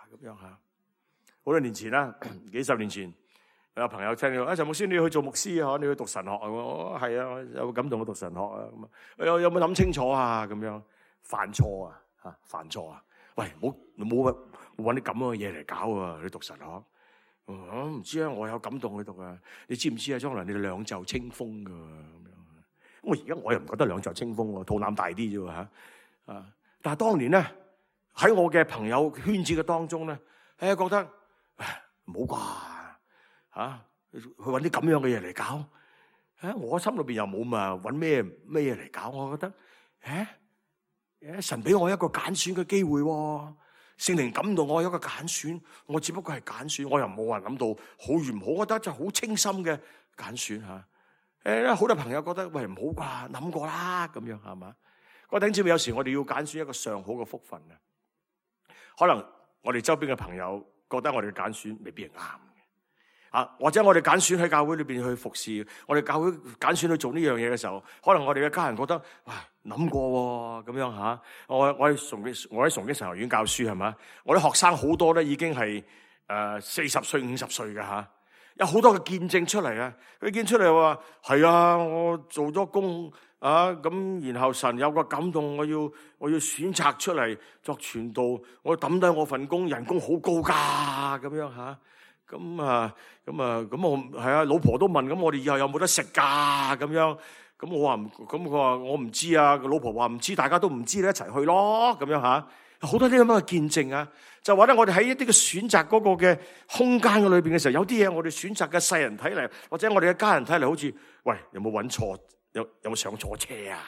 啩咁樣吓。好多年前啦，幾十年前有朋友聽到啊，陳牧師你要去做牧師啊，你要讀神學啊，我係啊，有感動我讀神學啊咁啊。有有冇諗清楚啊？咁樣犯錯啊吓，犯錯啊！喂，冇冇揾啲咁樣嘅嘢嚟搞啊！你讀神學，我唔知啊，我有感動去讀啊。你知唔知啊？將來你哋兩袖清風噶咁樣。我而家我又唔覺得兩袖清風喎，肚腩大啲啫吓。啊！但係當年咧，喺我嘅朋友圈子嘅當中咧，誒覺得唔好啩嚇，去揾啲咁樣嘅嘢嚟搞。誒，我心裏邊又冇嘛，揾咩咩嘢嚟搞？我覺得誒誒，神俾我一個揀選嘅機會喎，聖靈感動我有一個揀選，我只不過係揀選，我又冇話諗到好與唔好，我覺得就好清心嘅揀選嚇。誒，好多朋友覺得喂唔好啩，諗過啦咁樣係嘛？我頂住，有時我哋要揀選一個上好嘅福分啊！可能我哋周邊嘅朋友覺得我哋嘅揀選未必係啱嘅啊，或者我哋揀選喺教會裏邊去服侍，我哋教會揀選去做呢樣嘢嘅時候，可能我哋嘅家人覺得喂諗過咁樣吓。我我喺崇基我喺崇基神學院教書係嘛，我啲學生好多咧已經係誒四十歲五十歲嘅吓，有好多嘅見證出嚟啊！佢見出嚟話係啊，我做咗工。啊咁，然後神有個感動，我要我要選擇出嚟作傳道，我抌低我份工，人工好高噶咁樣吓，咁啊咁啊咁我係啊，老婆都問，咁我哋以後有冇得食噶咁樣，咁我話唔，咁佢話我唔知啊。個老婆話唔知，大家都唔知咧，一齊去咯，咁樣吓。好多啲咁樣嘅見證啊，就話咧，我哋喺一啲嘅選擇嗰個嘅空間嘅裏邊嘅時候，有啲嘢我哋選擇嘅世人睇嚟，或者我哋嘅家人睇嚟，好似喂，有冇揾錯？有有冇上錯車啊？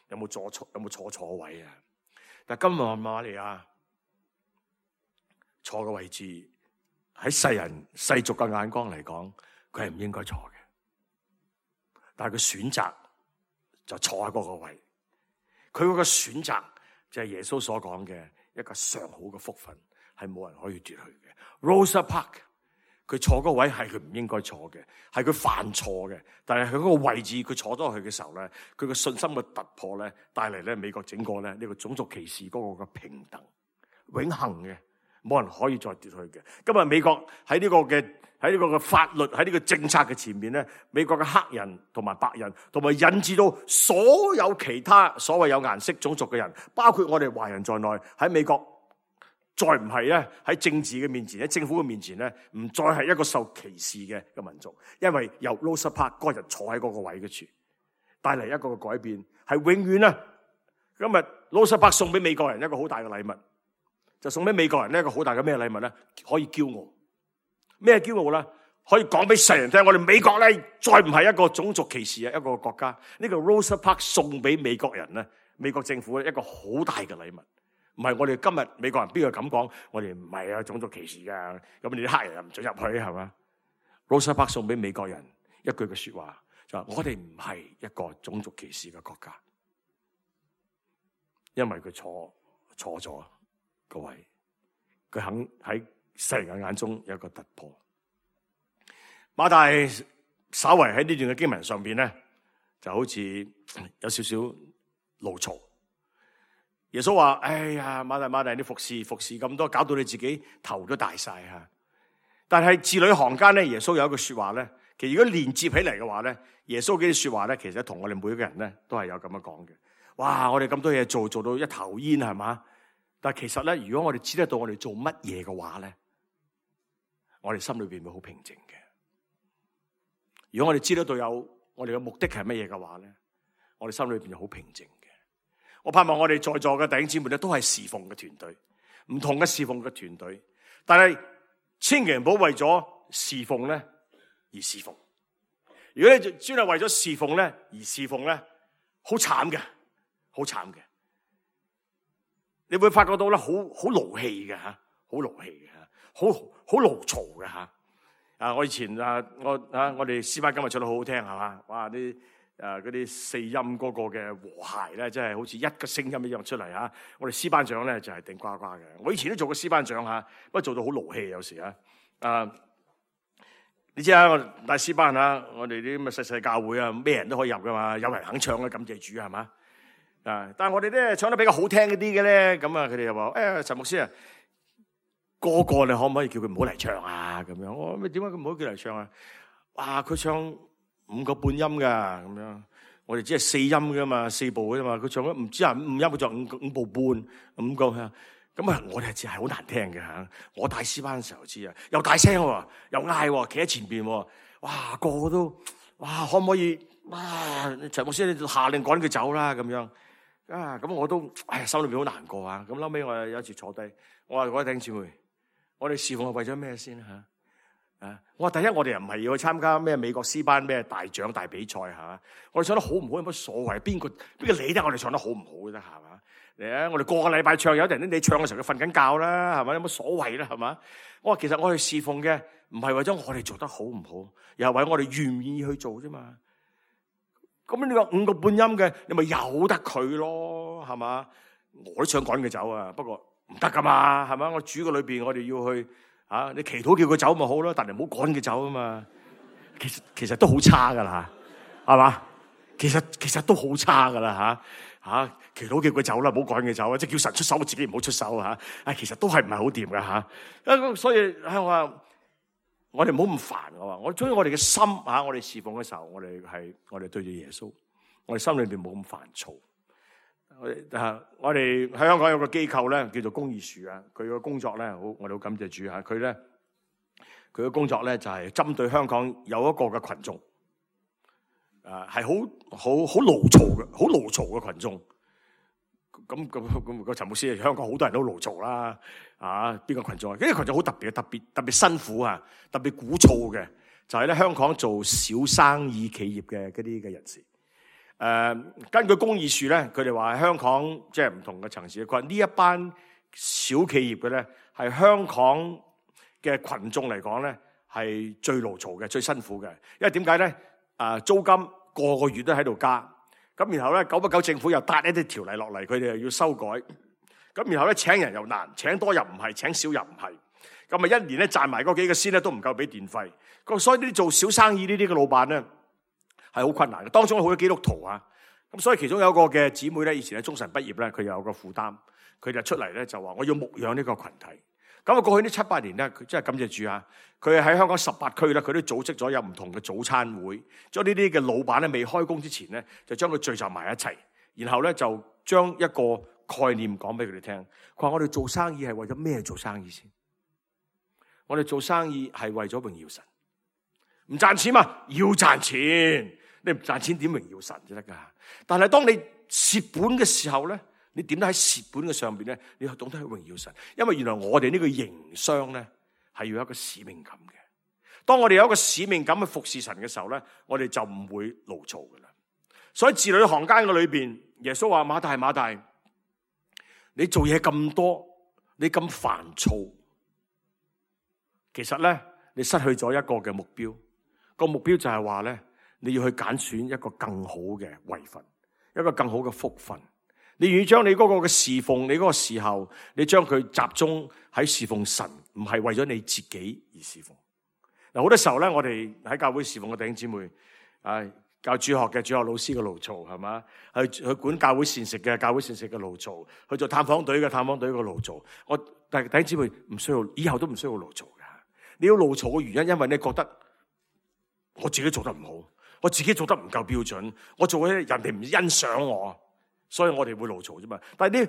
有冇坐錯？有冇坐錯位啊？但係今日瑪利亞坐嘅位置喺世人世俗嘅眼光嚟講，佢係唔應該坐嘅。但係佢選擇就坐喺嗰個位，佢嗰個選擇就係耶穌所講嘅一個上好嘅福分，係冇人可以奪去嘅。Rosa Parks 佢坐嗰個位係佢唔應該坐嘅，係佢犯錯嘅。但係佢嗰個位置佢坐咗去嘅時候咧，佢嘅信心嘅突破咧，帶嚟咧美國整個咧呢個種族歧視嗰個嘅平等永恆嘅，冇人可以再奪去嘅。今日美國喺呢個嘅喺呢個嘅法律喺呢個政策嘅前面咧，美國嘅黑人同埋白人，同埋引致到所有其他所謂有顏色種族嘅人，包括我哋華人在內，喺美國再唔係咧喺政治嘅面前，喺政府嘅面前咧，唔再係一個受歧視嘅嘅民族，因為由 Rosa Parks 嗰日坐喺嗰個位嘅處，帶嚟一個嘅改變，係永遠啊！今日 Rosa Parks 送俾美國人一個好大嘅禮物，就送俾美國人呢一個好大嘅咩禮物咧？可以驕傲。咩驕傲啦？可以講俾世人聽，我哋美國咧再唔係一個種族歧視嘅一個國家。呢個 Rosa Parks 送俾美國人咧，美國政府一個好大嘅禮物。唔係我哋今日美國人邊個咁講？我哋唔係啊種族歧視噶，咁你啲黑人又唔准入去係嘛 ？Rosa Parks 送俾美國人一句嘅說話，就話我哋唔係一個種族歧視嘅國家，因為佢錯錯咗個位，佢肯喺世人嘅眼中有一個突破。馬大稍為喺呢段嘅經文上邊咧，就好似有少少怒嘈。耶穌話：哎呀，馬大馬大，你服侍服侍咁多，搞到你自己頭都大晒吓。但係字裏行間咧，耶穌有一句說話咧，其實如果連接起嚟嘅話咧，耶穌嘅說話咧，其實同我哋每一個人咧都係有咁樣講嘅。哇！我哋咁多嘢做，做到一頭煙係嘛？但係其實咧，如果我哋知得到我哋做乜嘢嘅話咧，我哋心裏邊會好平靜嘅。如果我哋知得到有我哋嘅目的係乜嘢嘅話咧，我哋心裏邊就好平靜嘅。我盼望我哋在座嘅弟兄姊妹咧，都係侍奉嘅團隊，唔同嘅侍奉嘅團隊。但係千祈唔好為咗侍奉咧而侍奉。如果你專係為咗侍奉咧而侍奉咧，好慘嘅，好慘嘅。你會發覺到咧，好好勞氣嘅吓，好勞氣嘅吓，好好勞嘈嘅吓。啊，我以前啊，我啊，我哋詩班今日唱得好好聽係嘛？哇，啲誒嗰啲四音嗰個嘅和諧咧，真係好似一個聲音一樣出嚟吓。我哋詩班長咧就係頂呱呱嘅。我以前都做過詩班長吓，不過做到好勞氣有時啊。啊，你知啊，我帶詩班啊，我哋啲咁嘅細細教會啊，咩人都可以入噶嘛，有人肯唱嘅，感謝主係嘛。啊！但係我哋咧唱得比較好聽一啲嘅咧，咁啊，佢哋又話：誒、哎，陳牧師啊，個個你可唔可以叫佢唔好嚟唱啊？咁樣，我咩點解佢唔好叫嚟唱啊？哇！佢唱五個半音噶，咁樣，我哋只係四音噶嘛，四部噶嘛，佢唱咗唔知啊五音，佢唱五五部半五個，咁啊，我哋知係好難聽嘅吓。我帶詩班嘅時候知啊，又大聲喎，又嗌，企喺前邊，哇，個個都哇，可唔可以？哇！陳牧師，你下令趕佢走啦，咁樣。啊，咁我都唉，心裏邊好難過啊！咁後尾我有一次坐低，我話各位弟兄姊妹，我哋侍奉係為咗咩先吓？啊，我話第一，我哋又唔係要去參加咩美國詩班咩大獎大比賽吓，我哋唱得好唔好有乜所謂？邊個邊個理得我哋唱得好唔好啫？係嘛？嚟啊！我哋個個禮拜唱，有啲人你唱嘅時候佢瞓緊覺啦，係咪？有乜所謂啦？係嘛？我話其實我哋侍奉嘅唔係為咗我哋做得好唔好，又係為我哋願唔願意去做啫嘛。咁你話五個半音嘅，你咪由得佢咯，係嘛？我都想趕佢走啊，不過唔得噶嘛，係嘛？我主嘅裏邊，我哋要去啊，你祈禱叫佢走咪好咯，但係唔好趕佢走啊嘛。其實其實都好差噶啦，係嘛？其實其實都好差噶啦吓吓，祈禱叫佢走啦，唔好趕佢走啊，即係叫神出手，我自己唔好出手吓。啊，其實都係唔係好掂噶吓。所以我話。我哋唔好咁煩，我話我中意我哋嘅心吓，我哋侍奉嘅時候，我哋係我哋對住耶穌，我哋心裏邊冇咁煩躁。我哋啊，我哋喺香港有個機構咧，叫做公義樹啊，佢個工作咧，好，我哋好感謝主吓。佢咧，佢嘅工作咧就係針對香港有一個嘅群眾，誒係好好好牢嘈嘅，好牢嘈嘅群眾。咁咁咁個陳牧師，香港好多人都牢嘈啦，啊邊個群眾啊？呢個群眾好特別嘅，特別特別辛苦啊，特別鼓噪嘅，就係咧香港做小生意企業嘅嗰啲嘅人士。誒、呃，根據公義署咧，佢哋話香港即係唔同嘅層次，佢話呢一班小企業嘅咧，係香港嘅群眾嚟講咧，係最牢嘈嘅、最辛苦嘅。因為點解咧？啊，租金個個月都喺度加。咁然後咧，久不久政府又搭一啲條例落嚟，佢哋又要修改。咁然後咧，請人又難，請多又唔係，請少又唔係。咁啊，一年咧賺埋嗰幾個先咧，都唔夠俾電費。咁所以呢啲做小生意呢啲嘅老闆咧，係好困難嘅。當中好多基督徒啊，咁所以其中有一個嘅姊妹咧，以前喺中神畢業咧，佢有個負擔，佢就出嚟咧就話：我要牧養呢個群體。咁啊，過去呢七八年咧，佢真係感謝主啊！佢喺香港十八區咧，佢都組織咗有唔同嘅早餐會，將呢啲嘅老闆咧未開工之前咧，就將佢聚集埋一齊，然後咧就將一個概念講俾佢哋聽。佢話：我哋做生意係為咗咩做生意先？我哋做生意係為咗榮耀神，唔賺錢嘛？要賺錢，你唔賺錢點榮耀神就得噶？但係當你蝕本嘅時候咧，你點解喺蝕本嘅上邊咧？你要懂得去榮耀神，因為原來我哋呢個營商咧係要有一個使命感嘅。當我哋有一個使命感去服侍神嘅時候咧，我哋就唔會牢嘈噶啦。所以字裏行間嘅裏邊，耶穌話：馬大馬大，你做嘢咁多，你咁煩躁，其實咧你失去咗一個嘅目標。個目標就係話咧，你要去揀選一個更好嘅位份，一個更好嘅福分。你願意將你嗰個嘅侍奉，你嗰個時候，你將佢集中喺侍奉神，唔係為咗你自己而侍奉。嗱，好多時候咧，我哋喺教會侍奉嘅弟兄姊妹，啊，教主學嘅主學老師嘅牢嘈係嘛，去去管教會膳食嘅教會膳食嘅牢嘈，去做探訪隊嘅探訪隊嘅牢嘈。我但係弟兄姊妹唔需要，以後都唔需要牢嘈嘅。你要牢嘈嘅原因，因為你覺得我自己做得唔好，我自己做得唔夠標準，我做嘅人哋唔欣賞我。所以我哋會牢嘈啫嘛，但係你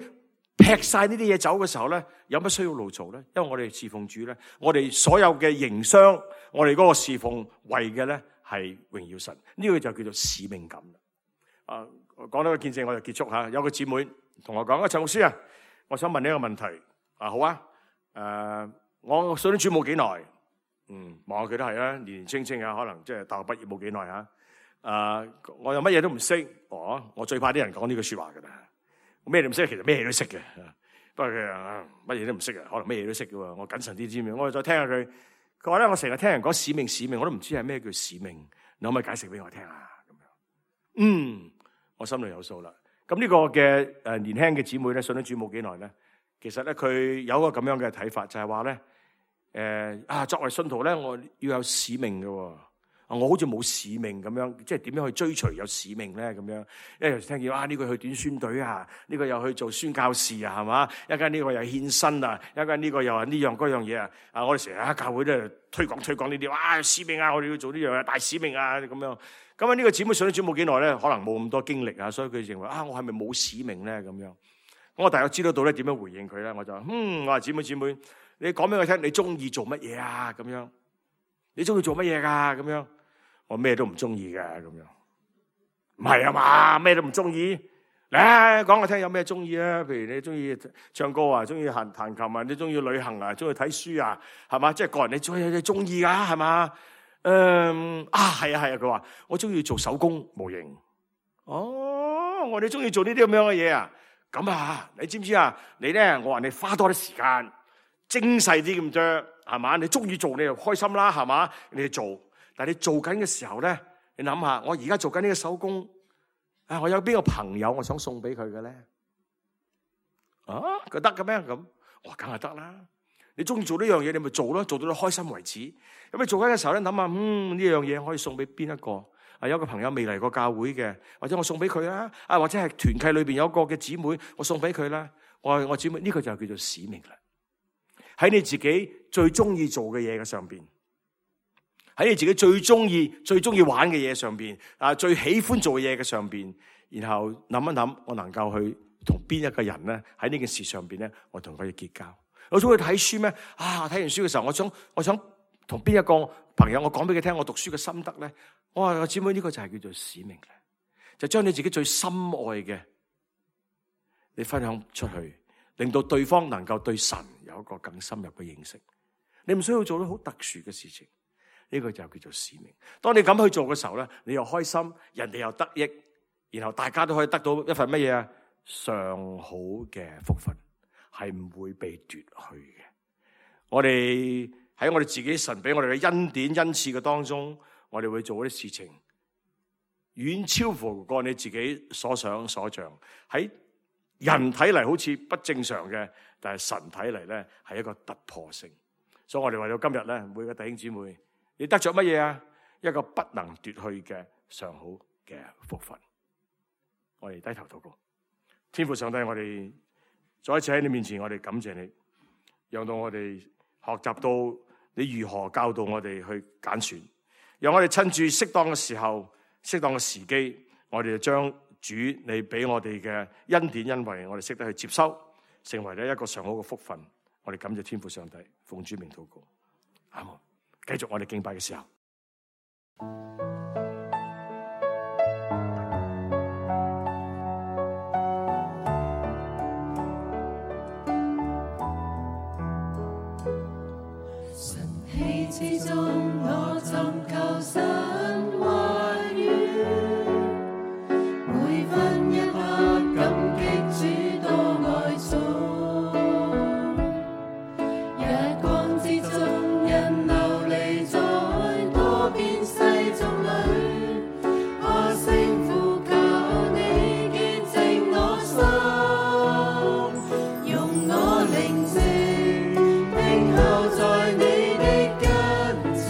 劈晒呢啲嘢走嘅時候咧，有乜需要牢嘈咧？因為我哋侍奉主咧，我哋所有嘅營商，我哋嗰個侍奉為嘅咧係榮耀神，呢、這個就叫做使命感。啊，講到個見證我就結束吓。有個姊妹同我講：啊，陳牧師啊，我想問你一個問題。啊，好啊，誒、呃，我信咗主冇幾耐，嗯，望下佢都係啊，年年青青啊，可能即係大學畢業冇幾耐吓。啊！我又乜嘢都唔識，哦！我最怕啲人講呢句說話噶啦。我咩都唔識，其實咩嘢都識嘅。不過佢啊，乜嘢都唔識嘅，可能咩嘢都識嘅。我謹慎啲知唔知？我再聽下佢。佢話咧，我成日聽人講使命，使命，我都唔知係咩叫使命。你可唔可以解釋俾我聽啊？咁樣，嗯，我心裏有數啦。咁呢個嘅誒年輕嘅姊妹咧，信咗主冇幾耐咧，其實咧佢有一個咁樣嘅睇法，就係話咧，誒啊，作為信徒咧，我要有使命嘅。我好似冇使命咁樣，即係點樣去追隨有使命咧？咁樣，因為有時聽見啊，呢個去短宣隊啊，呢個又去做宣教士啊，係嘛？一間呢個又獻身啊，一間呢個又係呢樣嗰樣嘢啊！啊，我哋成日喺教會咧推廣推廣呢啲，哇，使命啊，我哋要做呢樣啊，大使命啊咁樣。咁啊，呢個姊妹信咗主冇幾耐咧，可能冇咁多經歷啊，所以佢認為啊，我係咪冇使命咧？咁樣，咁我大概知道到咧點樣回應佢咧，我就嗯，我話姊妹姊妹，你講俾我聽，你中意做乜嘢啊？咁樣，你中意做乜嘢噶？咁樣。我咩都唔中意嘅咁樣，唔係啊嘛，咩都唔中意。嚟講我聽有咩中意啊？譬如你中意唱歌啊，中意彈彈琴啊，你中意旅行啊，中意睇書啊，係嘛？即係個人你中意你中意噶係嘛？嗯啊係啊係啊，佢話我中意做手工模型。哦，我哋中意做呢啲咁樣嘅嘢啊。咁啊，你知唔知啊？你咧，我話你花多啲時間，精細啲咁啫，係嘛？你中意做你就開心啦，係嘛？你去做。但係你做緊嘅時候咧，你諗下，我而家做緊呢個手工，啊，我有邊個朋友我想送俾佢嘅咧？啊，佢得嘅咩？咁我梗係得啦。你中意做呢樣嘢，你咪做咯，做到你開心為止。咁你做緊嘅時候咧，諗下，嗯，呢樣嘢可以送俾邊一個？啊，有個朋友未嚟過教會嘅，或者我送俾佢啦。啊，或者係團契裏邊有一個嘅姊妹，我送俾佢啦。我我姊妹呢個就叫做使命啦。喺你自己最中意做嘅嘢嘅上邊。喺你自己最中意、最中意玩嘅嘢上邊，啊，最喜歡做嘢嘅上邊，然後諗一諗，我能夠去同邊一個人咧喺呢件事上邊咧，我同佢哋結交。我中意睇書咩？啊，睇完書嘅時候，我想我想同邊一個朋友，我講俾佢聽，我讀書嘅心得咧。我話，姊妹，呢個就係叫做使命咧，就將你自己最深愛嘅，你分享出去，令到對方能夠對神有一個更深入嘅認識。你唔需要做到好特殊嘅事情，呢個就叫做使命。當你咁去做嘅時候咧，你又開心，人哋又得益，然後大家都可以得到一份乜嘢啊？上好嘅福分，係唔會被奪去嘅。我哋喺我哋自己神俾我哋嘅恩典恩賜嘅當中，我哋會做啲事情，遠超乎過你自己所想所像。喺人睇嚟好似不正常嘅，但係神睇嚟咧係一個突破性。所以我哋為到今日咧，每個弟兄姊妹，你得着乜嘢啊？一個不能奪去嘅上好嘅福分。我哋低頭禱告，天父上帝，我哋再一次喺你面前，我哋感謝你，讓到我哋學習到你如何教導我哋去揀選，讓我哋趁住適當嘅時候、適當嘅時機，我哋就將主你俾我哋嘅恩典恩惠，我哋識得去接收，成為咧一個上好嘅福分。我哋感謝天父上帝，奉主名禱告，阿門。繼續我哋敬拜嘅時候。晨曦之中，我尋求神話語，每分一刻感激主多愛寵。日光之中，人流離在多變世俗裏，我聲呼求你潔淨我心，用我靈性聽候在你的跟前。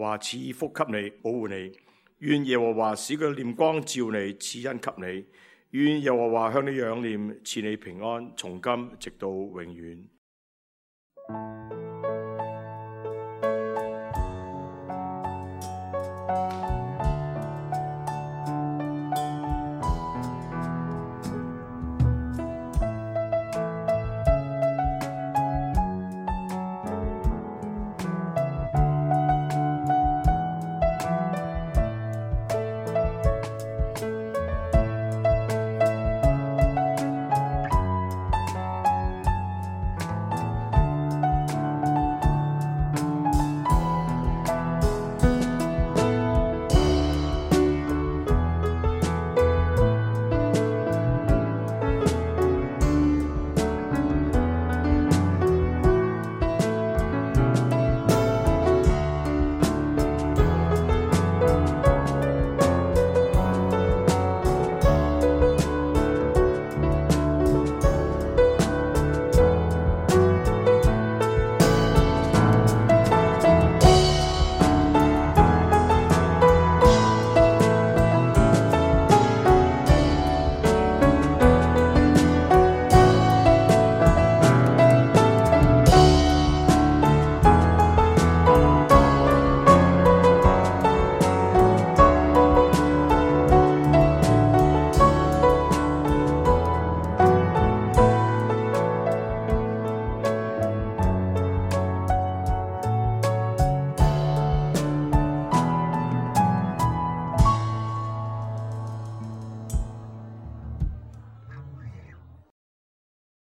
華賜福給你，保護你。願耶和華使佢臉光照你，賜恩給你。願耶和華向你仰臉，賜你平安，從今直到永遠。